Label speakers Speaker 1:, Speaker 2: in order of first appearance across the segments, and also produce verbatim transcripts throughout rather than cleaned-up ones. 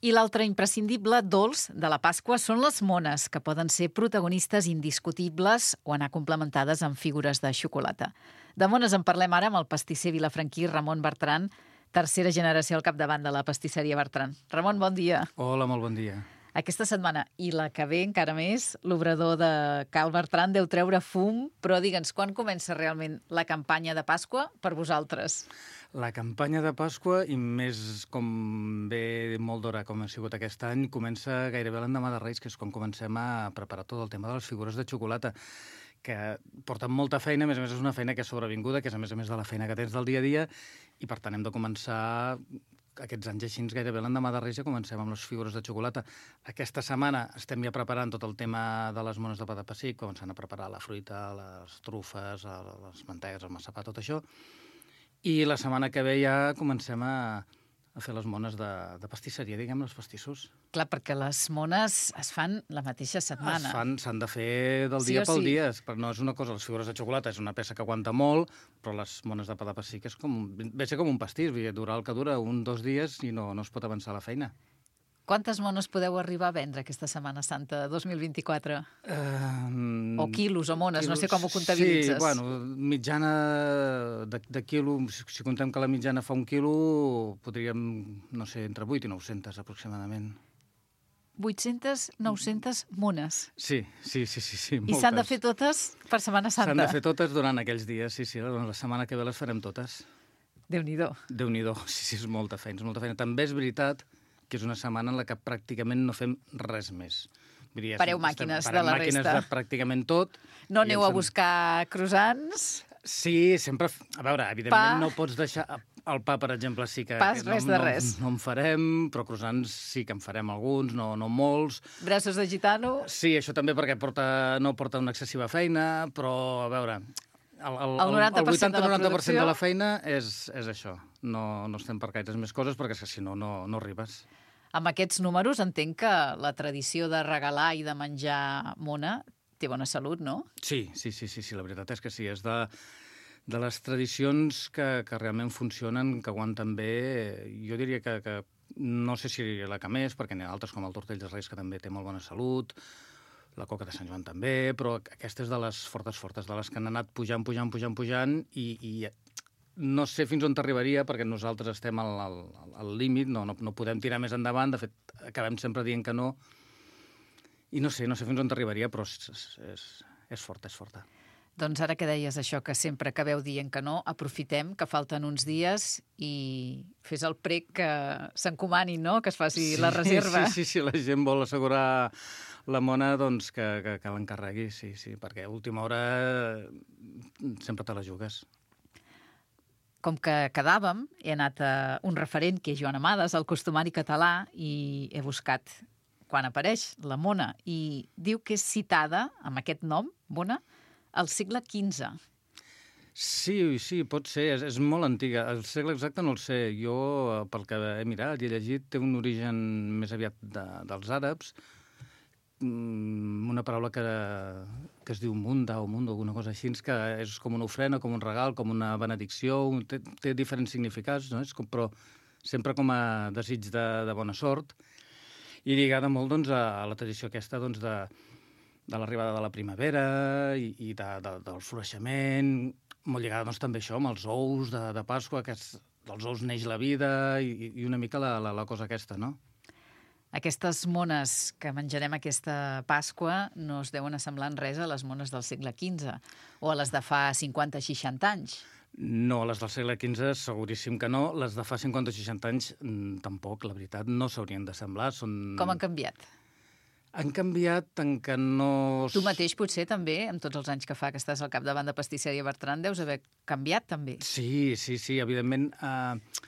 Speaker 1: I l'altre imprescindible dolç de la Pasqua són les mones, que poden ser protagonistes indiscutibles o anar complementades amb figures de xocolata. De mones en parlem ara amb el pastisser vilafranquí Ramon Bertran, tercera generació al capdavant de la pastisseria Bertran. Ramon, bon dia.
Speaker 2: Hola, molt bon dia.
Speaker 1: Aquesta setmana, i la que ve encara més, l'obrador de Cal Bertran deu treure fum, però digue'ns, quan comença realment la campanya de Pasqua per vosaltres?
Speaker 2: La campanya de Pasqua, i més com ve molt d'hora com ha sigut aquest any, comença gairebé l'endemà de Reis, que és quan comencem a preparar tot el tema de les figures de xocolata, que porten molta feina, a més a més és una feina que és sobrevinguda, que és a més a més de la feina que tens del dia a dia, i per tant hem de començar aquests anys així, gairebé l'endemà de Reis ja comencem amb les figures de xocolata. Aquesta setmana estem ja preparant tot el tema de les mones de pa de pessic, començant a preparar la fruita, les trufes, les mantegues, el massapà, tot això. I la setmana que ve ja comencem a, a fer les mones de, de pastisseria, diguem, els pastissos.
Speaker 1: Clar, perquè les mones es fan la mateixa setmana.
Speaker 2: Es fan, s'han de fer del
Speaker 1: Sí
Speaker 2: dia
Speaker 1: o
Speaker 2: pel
Speaker 1: sí.
Speaker 2: dia. Però no és una cosa, les figures de xocolata és una peça que aguanta molt, però les mones de pa de pessic és com, ve a ser com un pastís, vull dir, dura el que dura, un, dos dies i no, no es pot avançar la feina.
Speaker 1: Quantes mones podeu arribar a vendre aquesta Setmana Santa dos mil vint-i-quatre?
Speaker 2: Uh,
Speaker 1: O quilos o mones, no sé com ho
Speaker 2: Sí,
Speaker 1: comptabilitzes.
Speaker 2: bueno, mitjana de, de quilo, si, si contem que la mitjana fa un quilo, podríem, no sé, entre vuit i nou-centes aproximadament.
Speaker 1: vuit-centes, nou-centes mones.
Speaker 2: Sí, sí, sí, sí, sí,
Speaker 1: I s'han de fer totes per Setmana Santa.
Speaker 2: S'han de fer totes durant aquells dies, sí, sí, la setmana que ve les farem totes.
Speaker 1: Déu-n'hi-do.
Speaker 2: Déu-n'hi-do, sí, sí, és molta feina, és molta feina. També és veritat que és una setmana en la que pràcticament no fem res més. Vull dir,
Speaker 1: Pareu
Speaker 2: estem-
Speaker 1: màquines
Speaker 2: parem
Speaker 1: de la
Speaker 2: màquines
Speaker 1: resta.
Speaker 2: de pràcticament tot.
Speaker 1: No
Speaker 2: I
Speaker 1: aneu
Speaker 2: ens
Speaker 1: a
Speaker 2: en-
Speaker 1: buscar croissants?
Speaker 2: Sí, sempre... A veure, evidentment
Speaker 1: Pa.
Speaker 2: no pots deixar... El pa, per exemple, sí que...
Speaker 1: Pas,
Speaker 2: no,
Speaker 1: res de
Speaker 2: no,
Speaker 1: res.
Speaker 2: No en farem, però croissants sí que en farem alguns, no, no molts.
Speaker 1: Braços de gitano?
Speaker 2: Sí, això també perquè porta, no porta una excessiva feina, però, a veure... El, el,
Speaker 1: El noranta per cent de la
Speaker 2: vuitanta noranta per cent de la
Speaker 1: producció.
Speaker 2: feina és, és això. No, no estem per gaires més coses, perquè és que si no, no, no arribes.
Speaker 1: Amb aquests números entenc que la tradició de regalar i de menjar mona té bona salut, no?
Speaker 2: Sí, sí, sí, sí, sí, la veritat és que sí. És de, de les tradicions que, que realment funcionen, que aguanten bé. Jo diria que, que no sé si la que més, perquè n'hi ha altres com el tortell dels Reis, que també té molt bona salut, la coca de Sant Joan també, però aquesta és de les fortes fortes, de les que han anat pujant, pujant, pujant, pujant, i, i no sé fins on t'arribaria, perquè nosaltres estem al, al, al límit, no, no, no podem tirar més endavant, de fet, acabem sempre dient que no, i no sé, no sé fins on t'arribaria, però és, és, és forta, és forta.
Speaker 1: Doncs ara que deies això, que sempre acabeu dient que no, aprofitem que falten uns dies i fes el prec que s'encomanin, no?, que es faci la reserva.
Speaker 2: Sí, sí, sí, la gent vol assegurar la mona, doncs que, que, que l'encarregui, sí, sí, perquè a última hora sempre te la jugues.
Speaker 1: Com que quedàvem, he anat a un referent, que és Joan Amades, el costumari català, i he buscat quan apareix la mona, i diu que és citada, amb aquest nom, mona, al segle quinze.
Speaker 2: Sí, sí, pot ser, és, és molt antiga. El segle exacte no el sé. Jo, pel que he mirat i he llegit, té un origen més aviat de, dels àrabs, una paraula que, que es diu munda o mundo, alguna cosa així, que és com una ofrena, com un regal, com una benedicció, té, té diferents significats, no? És com, però sempre com a desig de, de bona sort, i lligada molt doncs, a, a la tradició aquesta doncs, de, de l'arribada de la primavera i, i de, de, del floraixement, molt lligada doncs, també això amb els ous de, de Pasqua, que és, dels ous neix la vida, i, i una mica la, la, la cosa aquesta, no?
Speaker 1: Aquestes mones que menjarem aquesta Pasqua no es deuen assemblar en res a les mones del segle quinze o a les de fa cinquanta o seixanta anys.
Speaker 2: No, les del segle quinze seguríssim que no. Les de fa cinquanta o seixanta anys tampoc, la veritat, no s'haurien d'assemblar. Són...
Speaker 1: Com han canviat?
Speaker 2: Han canviat en que no...
Speaker 1: Tu mateix, potser, també, amb tots els anys que fa que estàs al capdavant de Pastisseria Bertran, deus haver canviat, també.
Speaker 2: Sí, sí, sí, evidentment... Eh...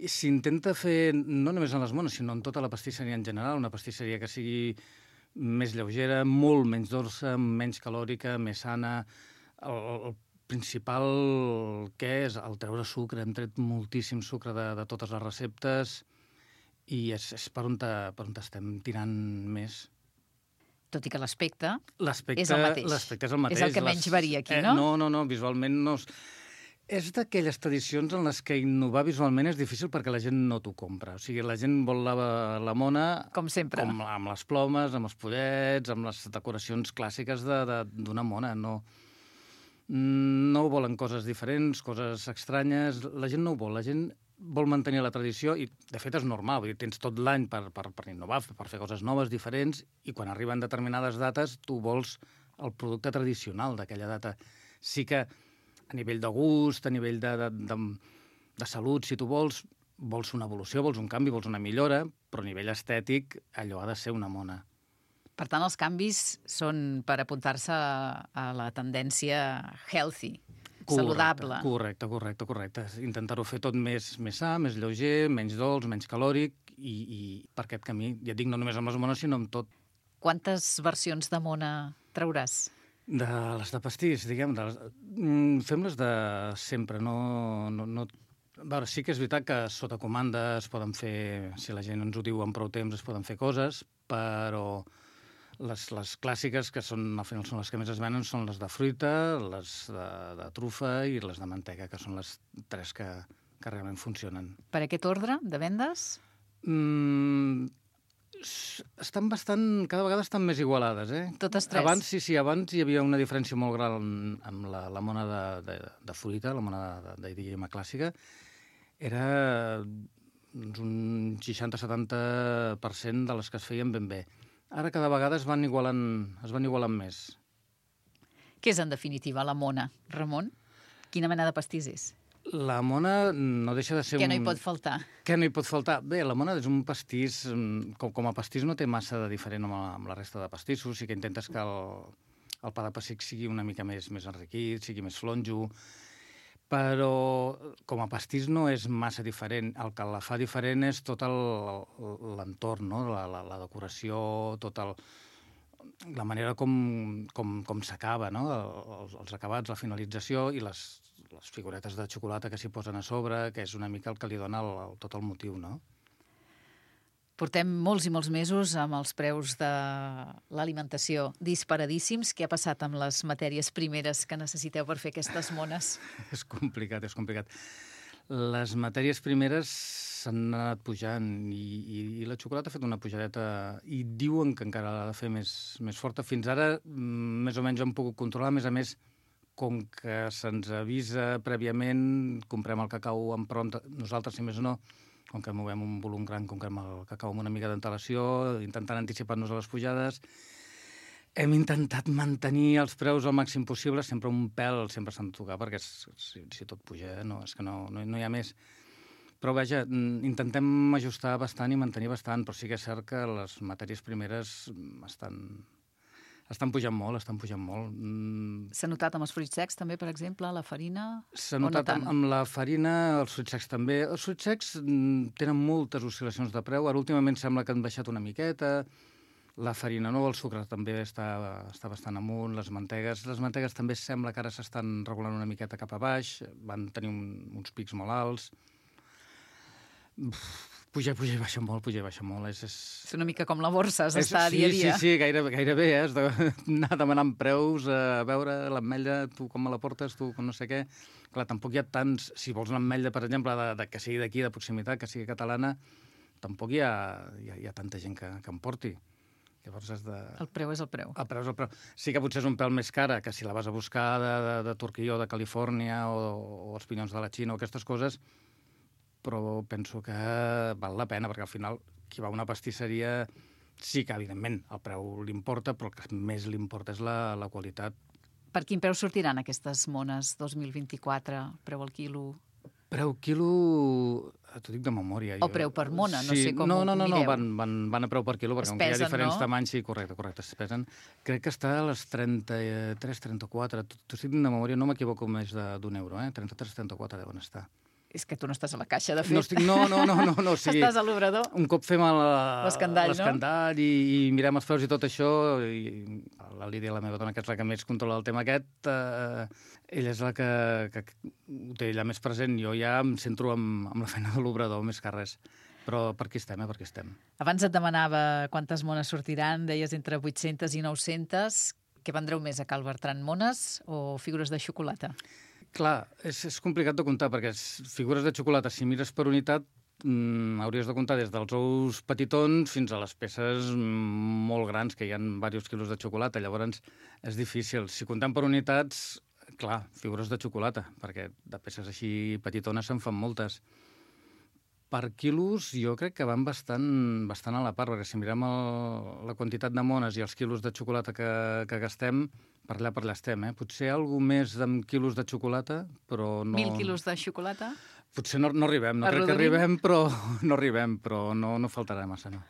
Speaker 2: S'intenta fer, no només en les mones, sinó en tota la pastisseria en general, una pastisseria que sigui més lleugera, molt menys dolça, menys calòrica, més sana. El, el principal que és el treure sucre. Hem tret moltíssim sucre de, de totes les receptes i és, és per on, te, per on estem tirant més.
Speaker 1: Tot i que l'aspecte és
Speaker 2: L'aspecte
Speaker 1: el mateix.
Speaker 2: L'aspecte és el mateix.
Speaker 1: És el que menys varia aquí, no?
Speaker 2: Eh, no, no, no, visualment no... És d'aquelles tradicions en les que innovar visualment és difícil perquè la gent no t'ho compra. O sigui, la gent vol la, la mona...
Speaker 1: Com sempre.
Speaker 2: Com, amb les plomes, amb els pollets, amb les decoracions clàssiques d'una mona. No, no volen coses diferents, coses estranyes. La gent no ho vol. La gent vol mantenir la tradició i, de fet, és normal. Vull dir, tens tot l'any per, per, per innovar, per fer coses noves, diferents, i quan arriben determinades dates tu vols el producte tradicional d'aquella data. Sí que a nivell de gust, a nivell de, de, de, de salut, si tu vols, vols una evolució, vols un canvi, vols una millora, però a nivell estètic allò ha de ser una mona.
Speaker 1: Per tant, els canvis són per apuntar-se a la tendència healthy, correcte, saludable.
Speaker 2: Correcte, correcte, correcte. Intentar-ho fer tot més, més sa, més lleuger, menys dolç, menys calòric, i, i per aquest camí, ja et dic, no només amb les mones, sinó amb tot.
Speaker 1: Quantes versions de mona trauràs?
Speaker 2: De les de pastís, diguem, de les... fem-les de sempre, no... no, no... A veure, sí que és veritat que sota comanda es poden fer, si la gent ens ho diu amb prou temps, es poden fer coses, però les, les clàssiques, que són, al final són les que més es venen, són les de fruita, les de, de trufa i les de mantega, que són les tres que, que realment funcionen.
Speaker 1: Per aquest ordre de vendes?
Speaker 2: Mm... estan bastant, cada vegada estan més igualades, eh?
Speaker 1: Totes tres?
Speaker 2: Abans, sí, sí, abans hi havia una diferència molt gran amb la, la mona de, de, de fruita, la mona de, de, diguem, clàssica. Era doncs, un seixanta a setanta per cent de les que es feien ben bé. Ara cada vegada es van igualant, es van igualant més.
Speaker 1: Què és, en definitiva, la mona, Ramon? Quina mena de pastís és?
Speaker 2: La mona no deixa de ser
Speaker 1: Què
Speaker 2: un...
Speaker 1: no hi pot faltar?
Speaker 2: Què no hi pot faltar? Bé, la mona és un pastís... Com, com a pastís no té massa de diferent amb la, amb la resta de pastissos. Sí que intentes que el, el pa de pessic sigui una mica més, més enriquit, sigui més flonjo, però com a pastís no és massa diferent. El que la fa diferent és tot l'entorn, no? la, la, la decoració, tot el... la manera com, com, com s'acaba, no? Els, els acabats, la finalització i les, les figuretes de xocolata que s'hi posen a sobre, que és una mica el que li dona el, el, tot el motiu, no?
Speaker 1: Portem molts i molts mesos amb els preus de l'alimentació disparadíssims. Què ha passat amb les matèries primeres que necessiteu per fer aquestes mones?
Speaker 2: És complicat, és complicat. Les matèries primeres s'han anat pujant i, i, i la xocolata ha fet una pujadeta i diuen que encara l'ha de fer més, més forta. Fins ara, més o menys, hem pogut controlar. A més a més, com que se'ns avisa prèviament, comprem el cacau en prompt. Nosaltres, si més no, com que movem un volum gran, comprem el cacau amb una mica d'antelació, intentant anticipar-nos a les pujades. Hem intentat mantenir els preus al màxim possible, sempre un pèl, sempre s'han de tocar, perquè si, si tot puja, no, és que no, no, no hi ha més. Però, vaja, intentem ajustar bastant i mantenir bastant, però sí que és cert que les matèries primeres estan, estan pujant molt, estan pujant molt.
Speaker 1: S'ha notat amb els fruits secs, també, per exemple, la farina?
Speaker 2: S'ha notat
Speaker 1: no
Speaker 2: amb, amb la farina, els fruits secs també. Els fruits secs tenen moltes oscil·lacions de preu. Ara, últimament, sembla que han baixat una miqueta. La farina no, el sucre també està, està bastant amunt, les mantegues. Les mantegues també sembla que ara s'estan regulant una miqueta cap a baix, van tenir un, uns pics molt alts. Puja, puja i baixa molt, puja i baixa molt. És, és...
Speaker 1: és una mica com la borsa, has d'estar
Speaker 2: sí,
Speaker 1: dia a dia.
Speaker 2: Sí, sí, gairebé, gairebé eh? Has d'anar demanant preus, a veure l'ametlla, tu com me la portes, tu com no sé què. Clar, tampoc hi ha tants... Si vols una ametlla, per exemple, de, de, que sigui d'aquí, de proximitat, que sigui catalana, tampoc hi ha, hi ha, hi ha tanta gent que, que em porti. Llavors has de...
Speaker 1: El preu és el preu.
Speaker 2: El preu és el preu. Sí que potser és un pèl més cara que si la vas a buscar de, de, de Turquia o de Califòrnia o, o els pinyons de la Xina o aquestes coses, però penso que val la pena, perquè al final qui va a una pastisseria sí que, evidentment, el preu l'importa, però el que més l'importa és la, la qualitat.
Speaker 1: Per quin preu sortiran aquestes mones dos mil vint-i-quatre, preu al quilo?
Speaker 2: Preu quilo, t'ho dic de memòria.
Speaker 1: O preu per mona, no
Speaker 2: sí,
Speaker 1: sé com
Speaker 2: no,
Speaker 1: ho
Speaker 2: no, no,
Speaker 1: mireu.
Speaker 2: No, van, van, van a preu per quilo, perquè
Speaker 1: es
Speaker 2: com que hi ha
Speaker 1: pesen,
Speaker 2: diferents
Speaker 1: no?
Speaker 2: tamanys, sí, correcte, correcte, es pesen. Crec que està a les trenta-tres, trenta-quatre, t'ho estic dient de memòria, no m'equivoco més d'un euro, eh? trenta-tres, trenta-quatre deuen estar.
Speaker 1: És que tu no estàs a la caixa, de fet.
Speaker 2: No, estic, no, no, no, no, no o sigui,
Speaker 1: estàs a l'obrador.
Speaker 2: Un cop fem
Speaker 1: l'escandall,
Speaker 2: no? i, i mirem els preus i tot això, i la Lídia, la meva dona, que és la que més controla el tema aquest, eh, ella és la que, que ho té ella més present. Jo ja em centro amb, amb la feina de l'obrador, més que res. Però per aquí estem, eh? Per aquí estem.
Speaker 1: Abans et demanava quantes mones sortiran, deies entre vuit-centes i nou-centes. Què vendreu més a Cal Bertran, mones o figures de xocolata?
Speaker 2: Clar, és, és complicat de comptar, perquè figures de xocolata, si mires per unitat, mm, hauries de comptar des dels ous petitons fins a les peces mm, molt grans, que hi ha diversos quilos de xocolata. Llavors, és difícil. Si comptem per unitats, clar, figures de xocolata, perquè de peces així petitones se'n fan moltes. Per quilos jo crec que van bastant, bastant a la part, perquè si mirem el, la quantitat de mones i els quilos de xocolata que, que gastem, per allà per allà estem, eh? Potser algú més amb quilos de xocolata, però no...
Speaker 1: Mil quilos de xocolata?
Speaker 2: Potser no, no arribem, no crec que arribem, però no arribem, però no, no faltarà massa, no.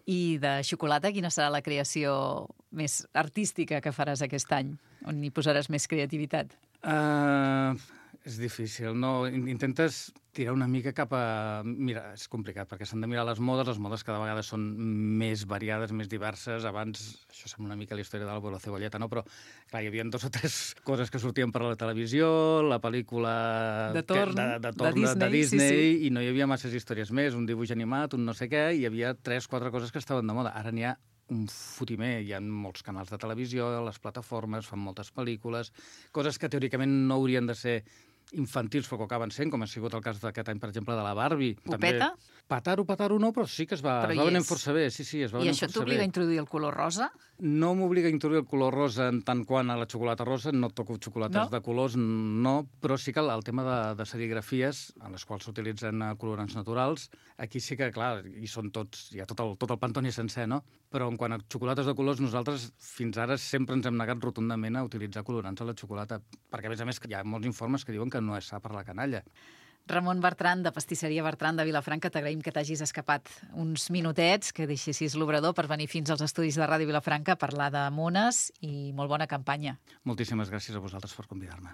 Speaker 1: I de xocolata, quina serà la creació més artística que faràs aquest any? On hi posaràs més creativitat?
Speaker 2: Uh, és difícil, no? Intentes tirar una mica cap a... Mira, és complicat, perquè s'han de mirar les modes, les modes cada vegada són més variades, més diverses. Abans, això sembla una mica la història de l'Álvaro de la Cebolleta, no? Però, clar, hi havia dos o tres coses que sortien per la televisió, la pel·lícula...
Speaker 1: De torn,
Speaker 2: que, de, de, torn
Speaker 1: de Disney,
Speaker 2: de, de Disney
Speaker 1: sí, sí.
Speaker 2: I no hi havia masses històries més, un dibuix animat, un no sé què, i hi havia tres, quatre coses que estaven de moda. Ara n'hi ha un fotimer, hi ha molts canals de televisió, les plataformes, fan moltes pel·lícules, coses que teòricament no haurien de ser infantils, però que acaben sent, com ha sigut el cas d'aquest any, per exemple, de la Barbie.
Speaker 1: Popeta?
Speaker 2: Petar-ho, petar-ho no, però sí que es va, es va venir força bé. Sí, sí, es va
Speaker 1: I
Speaker 2: venir
Speaker 1: això
Speaker 2: força bé.
Speaker 1: t'obliga a introduir el color rosa?
Speaker 2: No m'obliga a introduir el color rosa en tant quant a la xocolata rosa, no toco xocolates
Speaker 1: no?
Speaker 2: de colors, no, però sí que el, el tema de, de serigrafies, en les quals s'utilitzen colorants naturals, aquí sí que, clar, hi són tots, hi ha tot el, tot el Pantone sencer, no? Però en quant a xocolates de colors, nosaltres fins ara sempre ens hem negat rotundament a utilitzar colorants a la xocolata, perquè a més a més hi ha molts informes que diuen que no és sa per la canalla.
Speaker 1: Ramon Bertran, de Pastisseria Bertran de Vilafranca, t'agraïm que t'hagis escapat uns minutets, que deixessis l'obrador per venir fins als estudis de Ràdio Vilafranca a parlar de mones i molt bona campanya.
Speaker 2: Moltíssimes gràcies a vosaltres per convidar-me.